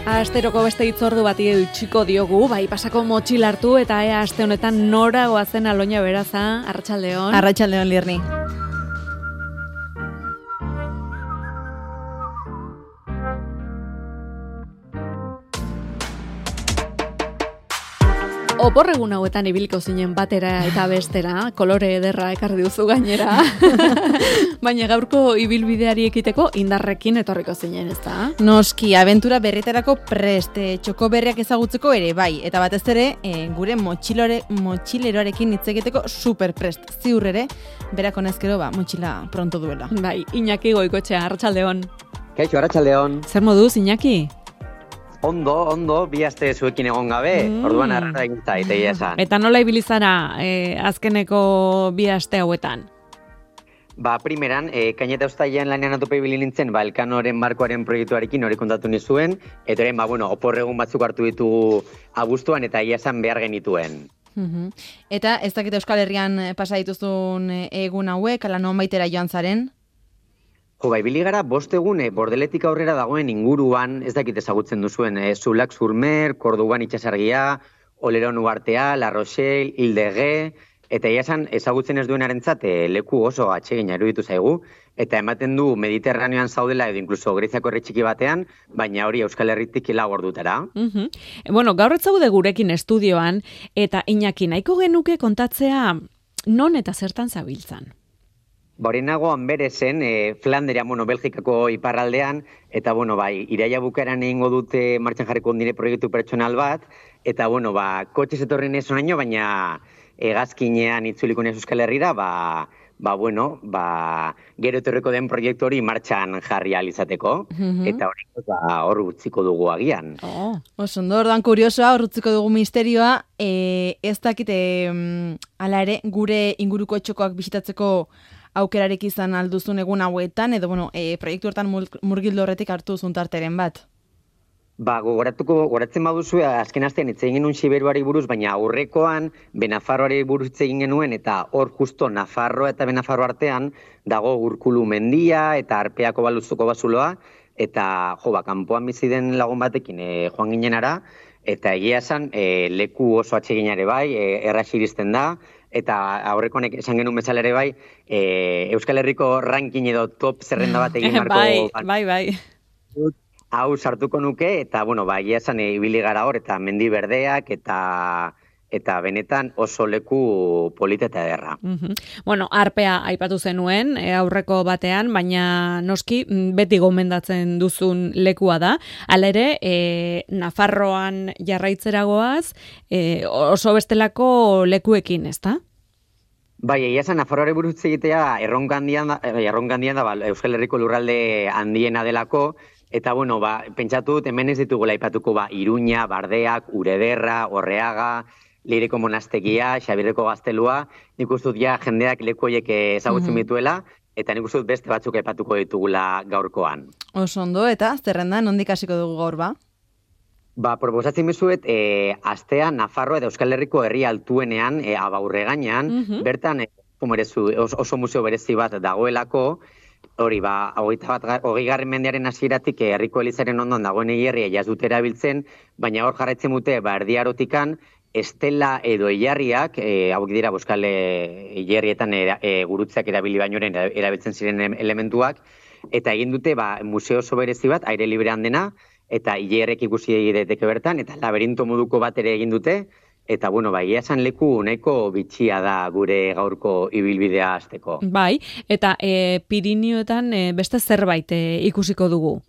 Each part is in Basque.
Asteroko beste hitzordu bati utziko diogu, bai pasako motxil hartu eta ea aste honetan nora goazen Aloña Beraza, arratsaldeon. Arratsaldeon, Lirni. Oporregun hauetan ibiliko zinen batera eta bestera, kolore ederra ekarri duzu gainera. Baina gaurko ibilbideari ekiteko indarrekin etorriko zinen, ezta? Noski, abentura berriterako preste, txoko berriak ezagutzeko ere, bai. Eta batez ere, gure motxileroarekin hitz egiteko super prest. Ziur ere, berak honezkero, motxila pronto duela. Bai, Iñaki Goikoetxea, arratsaldeon. Kaixo, arratsaldeon. Zer moduz, Iñaki? Ondo, bi aste zuekin egon gabe, orduan arrara egin zait, egia esan. Eta nola ibili zara azkeneko bi aste hauetan? Primeran, kaineta ustailean lanean atope ibili nintzen, Elkanoren barkoaren proiektuarekin hori kontatu nizuen, eta orain, oporregun batzuk hartu ditugu abuztuan, eta egia esan behar genituen. Eta ez dakit Euskal Herrian pasa dituzun egun hauek, ala non baitera joan zaren? Ibili gara, 5 egun Bordeletik aurrera dagoen inguruan, ez dakit ezagutzen duzuen, Zulak Zurmer, Kordoban itxasargia, Oleron Uartea, La Rochelle, Hildege, eta esan ezagutzen ez duenarentzat leku oso atsegina iruditu zaigu, eta ematen du Mediterraneoan zaudela edo inkluso Greziako herri txiki batean, baina hori Euskal Herritik 4 ordutara. Gaur ez zaude gurekin estudioan, eta Iñaki nahiko genuke kontatzea non eta zertan zabiltzan. Horenago Anberezen, Flanderia, Belgikako iparraldean, eta, iraila bukaeran egingo dute martxan jarriko ondire proiektu pertsonal bat, eta, kotxez etorri neso naino, baina hegazkinean itzuliko nez Euskal Herrira, gero etorriko den proiektu hori martxan jarri alizateko, eta hor utziko dugu agian. Ondo, ordan kuriosoa, hor utziko dugu misterioa, ez dakite, ala ere, gure inguruko etxokoak bisitatzeko aukerarek izan alduzun egun hauetan, edo, proiektu hortan murgildo horretik hartu zuntarteren bat? Goratzen baduzu, azken astean hitz egin genuen Siberuari buruz, baina aurrekoan Benafarroari buruz hitz egin genuen, eta hor justo Nafarroa eta Benafarro artean dago Urkulu mendia eta Arpeako baluzuko bazuloa, eta kanpoan bizi den lagun batekin joan ginenara, eta egia esan leku oso atseginare bai, erraz iristen da, eta aurrekonek esan genuen bezala ere bai, Euskal Herriko ranking edo top zerrenda bat egin marko. Bai. Hau sartuko nuke, eta, egia esan ibili gara hor, eta mendi berdeak, eta benetan oso leku polita eta ederra. Arpea aipatu zenuen aurreko batean, baina noski beti gomendatzen duzun lekua da. Hala ere, Nafarroan jarraitzeragoaz, oso bestelako lekuekin, ezta? Bai, egia esan Nafarroare buruz egitea erronka handian da, Euskal Herriko lurralde handiena delako, eta, pentsatu dut hemen ez ditugula aipatuko Iruña, Bardeak, Urederra, Orreaga, Leireko monastegia, Xabirreko gaztelua, nik uste dut jendeak leku horiek ezagutzen dituela, eta nik uste dut beste batzuk aipatuko ditugula gaurkoan. Oso ondo, eta zerrenda, nondik hasiko dugu gaur ba? Proposatzen bezuet, astea Nafarroa eta Euskal Herriko herri altuenean, Abaurreganean, bertan oso museo berezi bat dagoelako, hori, 20. mendearen hasieratik herriko elizaren ondoan dagoen hilerria jaz dute erabiltzen, baina hor jarraitzen dute, erdiarotikan, estela edo hilarriak, hauek dira Euskal hilerrietan gurutzeak erabili bainoren erabiltzen ziren elementuak, eta egin dute museo oso berezi bat, aire librean dena, eta hilerrek ikusi daiteke bertan, eta laberinto moduko bat ere egin dute, eta, egia esan leku nahiko bitxia da gure gaurko ibilbidea hasteko. Bai, eta Pirinioetan beste zerbait ikusiko dugu?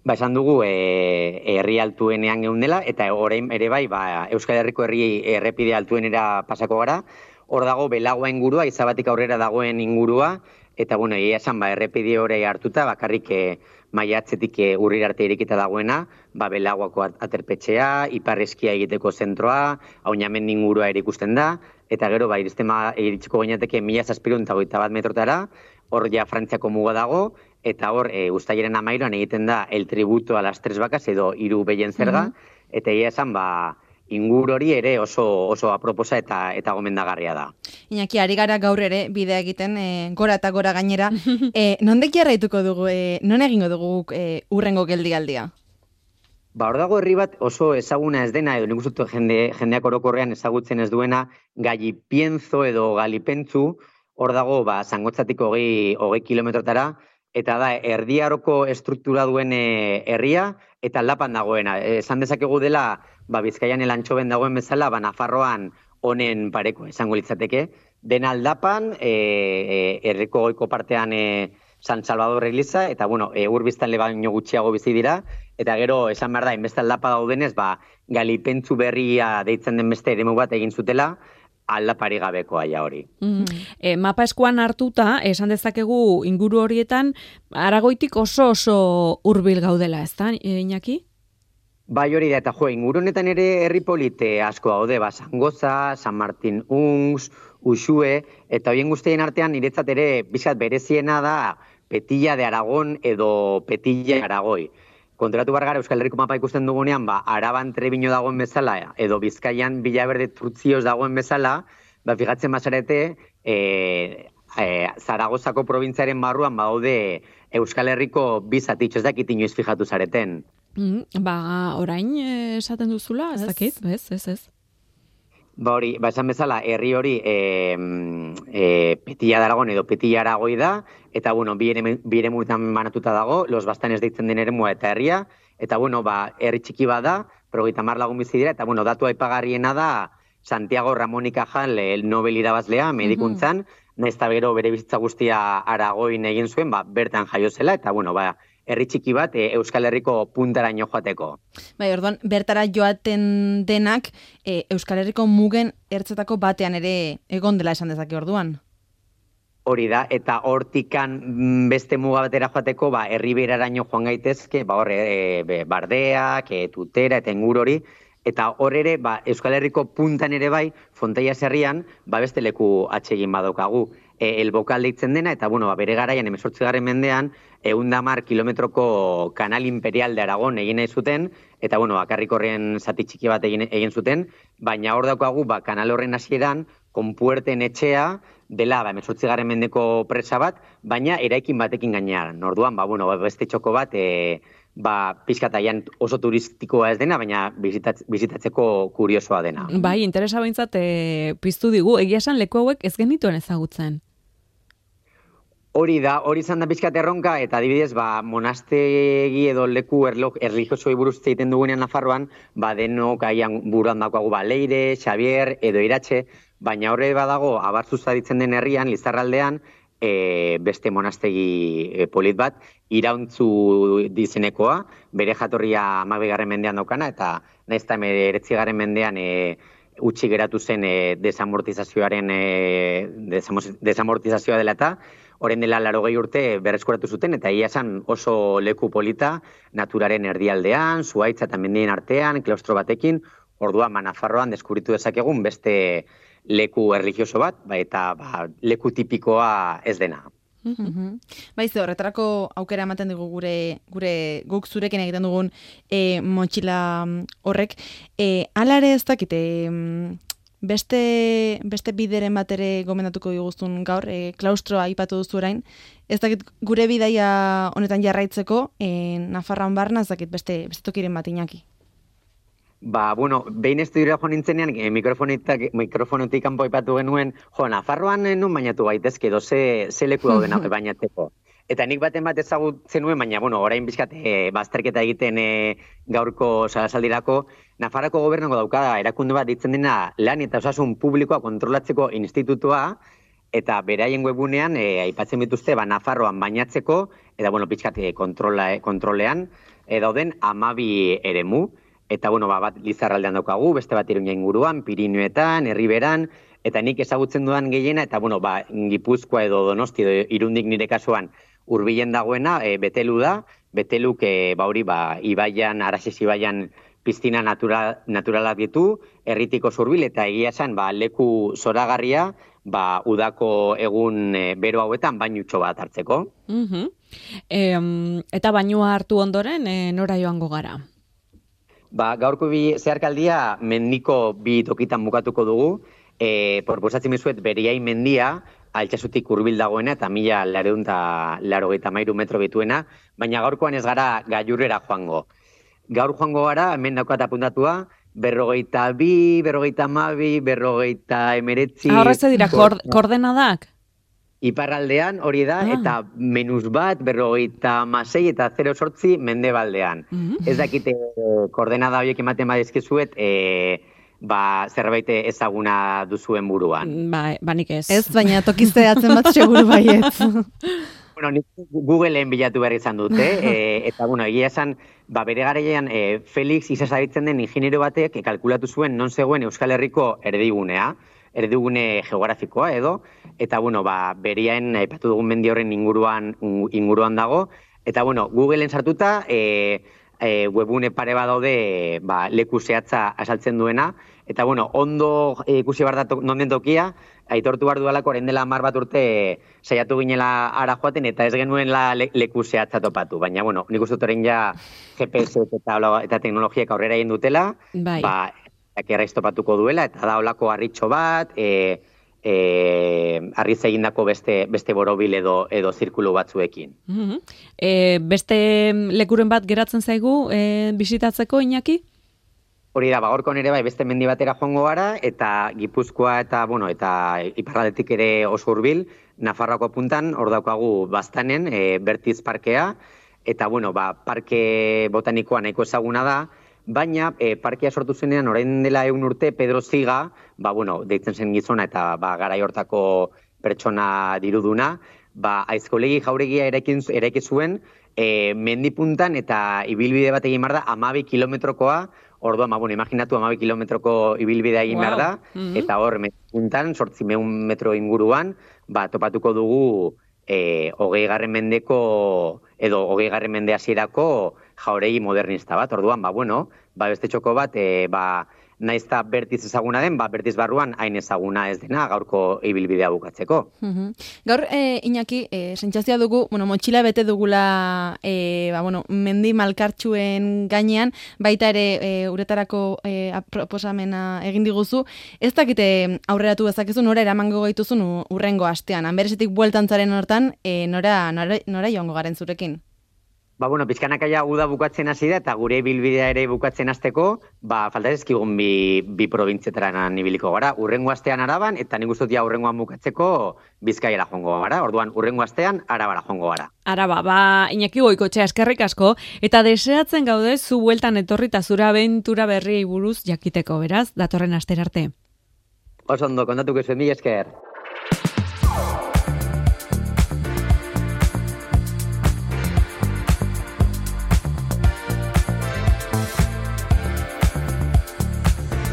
Esan dugu herri altuenean geundela, eta orain ere bai, Euskal Herriko errepide altuenera pasako gara, hor dago Belagoa ingurua, Izabatik aurrera dagoen ingurua, eta, egia esan, errepide hori hartuta, bakarrik maiatzetik urrira arte irikita dagoena, Belagoako aterpetxea, Iparreskia egiteko zentroa, Aunamendi ingurua ere ikusten da, eta gero, iritsiko gainateke 1721 metrotara, hor ja Frantziako muga dago, eta hor, uztailaren 13an egiten da el tributo a las 3 vacas edo 3 behien zerga, eta egia esan, ingur hori ere oso aproposa eta gomendagarria da. Iñaki, ari gara gaur ere bidea egiten, gora eta gora gainera. Nondik jarraituko dugu, non egingo dugu urrengo geldialdia? Ba, hor dago herri bat oso ezaguna ez dena, edo nik uste dut jendeak orokorrean ezagutzen ez duena, Galipienzo edo Galipentzu, hor dago, Zangotzatik 20 kilometrotara, eta da, Erdi Aroko estruktura duen herria, eta aldapan dagoena. Esan dezakegu dela, Bizkaian elantxoben dagoen bezala, Nafarroan honen pareko esango litzateke. Dena aldapan, herriko goiko partean San Salvador Eliza, eta urbiztanle baino gutxiago bizi dira, eta gero esan behar da, inbeste aldapa daudenez, Galipentzu berria deitzen den beste eremu bat egin zutela, aldapari gabeko aia hori. Mapa eskuan hartuta, esan dezakegu inguru horietan, Aragoitik oso hurbil gaudela, ez da, Iñaki? Bai hori da, eta inguru honetan ere herri polite asko gaude, Zangoza, San Martin Ungs, Uxue, eta horien guztien artean niretzat ere bizkat bereziena da Petilla de Aragon edo Petilla Aragoi. Konturatu gara Euskal Herriko mapa ikusten dugunean, Araban Trebino dagoen bezala, edo Bizkaian Villaverde Trutzioz dagoen bezala, fijatzen bazarete, Zaragozako probintziaren barruan badaude Euskal Herriko bizatitxo, ez dakit inoiz fijatu zareten. Orain esaten duzula, ez dakit, ez. Esan bezala, herri hori Petilla de Aragon edo Petilla Aragoi da, eta, bi eremuetan banatuta dago, Los Bastanes deitzen den eremua eta herria, eta, herri txiki bada, 30 lagun bizi dira, eta, datu aipagarriena da Santiago Ramón y Cajal, Nobel irabazlea, medikuntzan, nahiz eta gero bere bizitza guztia Aragoin egin zuen, bertan jaio zela, eta, herri txiki bat Euskal Herriko puntaraino joateko. Orduan, bertara joaten denak Euskal Herriko mugen ertzetako batean ere egon dela esan dezake orduan. Hori da, eta hortikan beste muga batera joateko, herri beraraino joan gaitezke, Bardeak, Tutera eta inguru hori, eta hor ere, Euskal Herriko puntan ere bai, Fonteias herrian, beste leku atsegin badaukagu. El Bokal deitzen dena, eta bere garaian 18. mendean, 110 kilometroko kanal imperial de Aragon egin nahi zuten, eta bakarrik horren zati txiki bat egin zuten, baina hor daukagu kanal horren hasieran, Konpuerten etxea, dela 18. mendeko presa bat, baina eraikin batekin gainean. Orduan, beste txoko bat, pixkataian oso turistikoa ez dena, baina bizitatzeko kuriosoa dena. Bai, interesa behintzat piztu digu, egia esan leku hauek ez genituen ezagutzen. Hori da, hori izan da pixkat erronka, eta adibidez, monastegi edo leku erlijiosoi buruz egiten dugunean Nafarroan, denok aian buruan daukagu Leire, Xavier edo Iratxe, baina horre badago, Abartzuza ditzen den herrian, Lizarraldean, beste monastegi polit bat, Irauntzu dizenekoa, bere jatorria 12. mendean daukana, eta nahiz eta 19. mendean utzi geratu zen desamortizazioa dela eta, orain dela 80 urte berreskuratu zuten, eta ia esan oso leku polita, naturaren erdialdean, zuhaitza eta mendien artean, klaustro batekin, orduan Nafarroan deskubritu dezakegun beste leku erlijioso bat, eta leku tipikoa ez dena. Horretarako aukera ematen dugu guk zurekin egiten dugun motxila horrek. Hala ere ez dakite, beste bideren bat ere gomendatuko diguztun gaur, klaustroa aipatu duzu orain, ez dakit gure bidaia honetan jarraitzeko, Nafarroan barna ez dakit beste tokiren bat Iñaki. Behin estudiora joan nintzenean, mikrofonetik kanpo aipatu genuen, Nafarroan nun bainatu gaitezke, edo ze leku dauden bainatzeko. Eta nik baten bat ezagutzen nuen, baina, orain bizkat bazterketa egiten gaurko salasaldirako, Nafarroko gobernuko dauka erakunde bat ditzen dena lan eta osasun publikoa kontrolatzeko institutua, eta beraien webunean aipatzen bituzte Nafarroan bainatzeko, eta, bizkat kontrolean, dauden 12 eremu, eta, bat Lizarraldean daukagu, beste bat Iruña inguruan, Pirinioetan, Herriberan, eta nik ezagutzen dudan gehiena, eta, Gipuzkoa edo Donosti edo Irundik nire kasuan hurbilen dagoena, Betelu da, Beteluk, ibaian, Araxes ibaian piztina naturalak ditu, herritiko zurbil, eta egia esan, leku zoragarria, udako egun bero hauetan bainutxo bat hartzeko. Eta bainua hartu ondoren, nora joango gara? Gaurko zeharkaldia mendiko 2 tokitan bukatuko dugu. Proposatzen mizuet Beriai mendia, Altsasutik hurbil dagoena eta 1983 metro bituena, baina gaurkoan ez gara gailurrera joango. gaur joango gara, hemen daukat apuntatua, 42, 52, 59. Horrez dira, koordenadak? Iparraldean hori da, eta -1, 56 eta 0,8 mendebaldean. Ez dakite koordenada horiek ematen badizkizuet, zerbait ezaguna duzuen buruan. Ba nik ez. Ez, baina tokizteatzen bat seguru baietz. Bueno, nik Googleen bilatu behar izan dute, eta egia esan, bere garaian Felix Isasabitzen den ingeniero batek kalkulatu zuen non zegoen Euskal Herriko erdigune geografikoa edo, eta beriaen aipatu dugun mendi horren inguruan dago, eta Googleen sartuta webune pare bat daude leku zehatza asaltzen duena, eta ondo ikusi behar da non den tokia, aitortu behar dualako orain dela 10 bat urte saiatu ginela ara joaten eta ez genuenla leku zehatza topatu, baina nik uste dut orain ja GPS eta teknologiak aurrera egin dutela, erraiz topatuko duela, eta da olako harritxo bat, harriz egindako beste borobil edo zirkulu batzuekin. Beste lekuren bat geratzen zaigu bisitatzeko, Iñaki? Hori da, gaurko nere beste mendi batera joango gara, eta Gipuzkoa eta iparraldetik ere oso hurbil, Nafarroako puntan, hor daukagu Baztanen, Bertiz parkea, eta parke botanikoa nahiko ezaguna da, baina parkea sortu zenean orain dela 100 urte Pedro Ziga, deitzen zen gizona eta garai hortako pertsona diruduna, aizkolegi jauregia eraiki zuen, mendipuntan eta ibilbide bat egin behar da 12 kilometrokoa, orduan, imaginatu 12 kilometroko ibilbidea egin behar da, eta hor, mendipuntan, 800 metro inguruan, topatuko dugu 20. Mendeko, edo 20. Mende hasierako jauregi modernista bat, orduan, beste txoko bat, naizta Bertiz ezaguna den, Bertiz barruan hain ezaguna ez dena gaurko ibilbidea bukatzeko. Gaur, Iñaki, sentsazioa dugu, motxila bete dugula mendi malkartxuen gainean, baita ere uretarako proposamena egin diguzu. Ez dakite aurreratu dezakezu, nora eramango gaituzun urrengo astean. Anberesetik bueltantzaren hortan, nora joango garen zurekin? Pizkanakaia uda bukatzen hasi da, eta gure ibilbidea ere bukatzen hasteko, falta ezkigun bi probintzietaran ibiliko gara. Urrengo astean Araban, eta nik uste dut urrengoan bukatzeko Bizkaiara joango gara. Orduan, urrengo astean Arabara joango gara. Araba, Iñaki Goikoetxea, eskerrik asko, eta deseatzen gaude zu bueltan etorri eta zure abentura berriei buruz jakiteko, beraz, datorren astera arte. Oso ondo, kontatuko zuen, mila esker.